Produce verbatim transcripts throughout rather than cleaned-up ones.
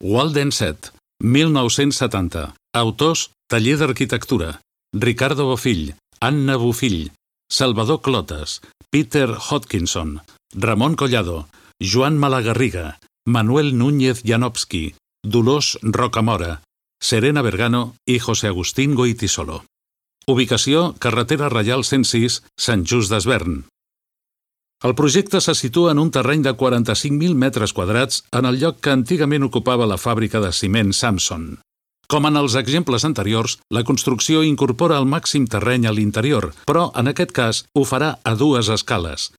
Walden set, mil nou-cents setanta. Autors: Taller d'Arquitectura, Ricardo Bofill, Anna Bofill, Salvador Clotas, Peter Hodkinson, Ramon Collado, Joan Malagarriga, Manuel Núñez Janowski, Dolors Rocamora, Serena Vergano i José Agustín Goitisolo. Ubicació: carretera Reial cent sis, Sant Just Desvern. El projecte se situa en un terreny de quaranta-cinc mil metres quadrats en el lloc que antigament ocupava la fàbrica de ciment Samson. Com en els exemples anteriors, la construcció incorpora el màxim terreny a l'interior, però en aquest cas ho farà a dues escales.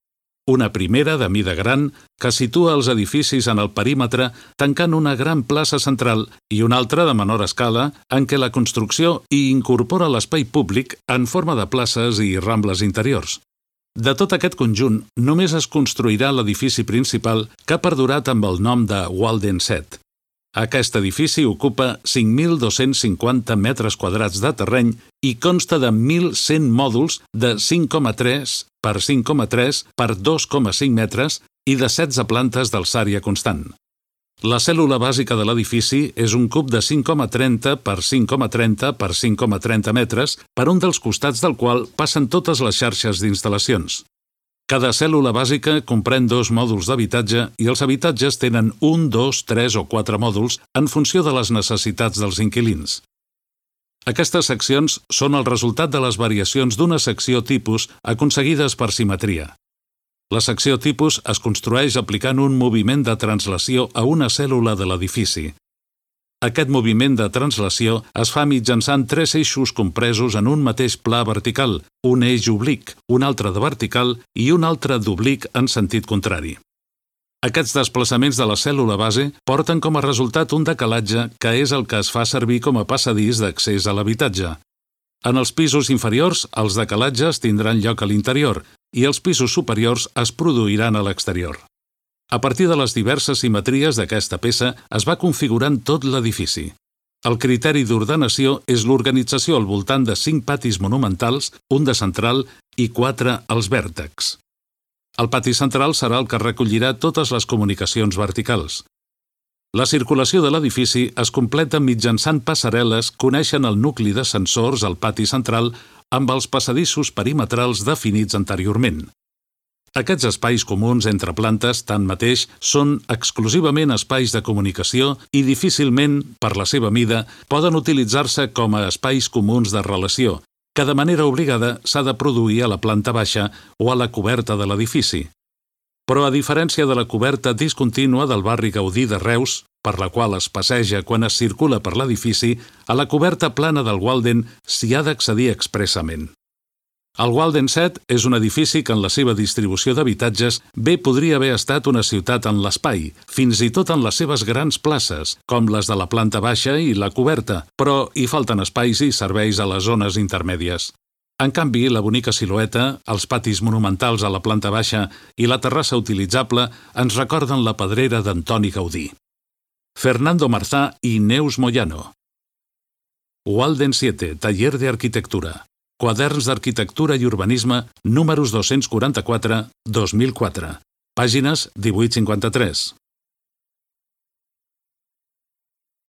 Una primera de mida gran, que situa els edificis en el perímetre tancant una gran plaça central, i una altra de menor escala, en què la construcció hi incorpora l'espai públic en forma de places i rambles interiors. De tot aquest conjunt, només es construirà l'edifici principal, que ha perdurat amb el nom de Walden set. Aquest edifici ocupa cinc mil dos-cents cinquanta metres quadrats de terreny i consta de mil cent mòduls de cinc coma tres per cinc coma tres per dos coma cinc metres i de setze plantes d'alçària constant. La cèl·lula bàsica de l'edifici és un cub de cinc coma trenta per cinc coma trenta per cinc coma trenta metres, per un dels costats del qual passen totes les xarxes d'instal·lacions. Cada cèl·lula bàsica comprèn dos mòduls d'habitatge i els habitatges tenen un, dos, tres o quatre mòduls en funció de les necessitats dels inquilins. Aquestes seccions són el resultat de les variacions d'una secció tipus aconseguides per simetria. La secció tipus es construeix aplicant un moviment de translació a una cèl·lula de l'edifici. Aquest moviment de translació es fa mitjançant tres eixos compresos en un mateix pla vertical, un eix oblic, un altre de vertical i un altre d'oblic en sentit contrari. Aquests desplaçaments de la cèl·lula base porten com a resultat un decalatge que és el que es fa servir com a passadís d'accés a l'habitatge. En els pisos inferiors, els decalatges tindran lloc a l'interior i els pisos superiors es produiran a l'exterior. A partir de les diverses simetries d'aquesta peça es va configurant tot l'edifici. El criteri d'ordenació és l'organització al voltant de cinc patis monumentals, un de central i quatre als vèrtexs. El pati central serà el que recollirà totes les comunicacions verticals. La circulació de l'edifici es completa mitjançant passarel·les que uneixen el nucli de sensors al pati central amb els passadissos perimetrals definits anteriorment. Aquests espais comuns entre plantes, tanmateix, són exclusivament espais de comunicació i difícilment, per la seva mida, poden utilitzar-se com a espais comuns de relació, que de manera obligada s'ha de produir a la planta baixa o a la coberta de l'edifici. Però a diferència de la coberta discontínua del barri Gaudí de Reus, per la qual es passeja quan es circula per l'edifici, a la coberta plana del Walden s'hi ha d'accedir expressament. El Walden set és un edifici que en la seva distribució d'habitatges bé podria haver estat una ciutat en l'espai, fins i tot en les seves grans places, com les de la planta baixa i la coberta, però hi falten espais i serveis a les zones intermèdies. En canvi, la bonica silueta, els patis monumentals a la planta baixa i la terrassa utilitzable ens recorden la pedrera d'Antoni Gaudí. Fernando Marzá i Neus Moyano. Walden siete, Taller de Arquitectura. Quaderns d'Arquitectura i Urbanisme, números dos-cents quaranta-quatre dos mil quatre. Pàgines divuit cinquanta-tres.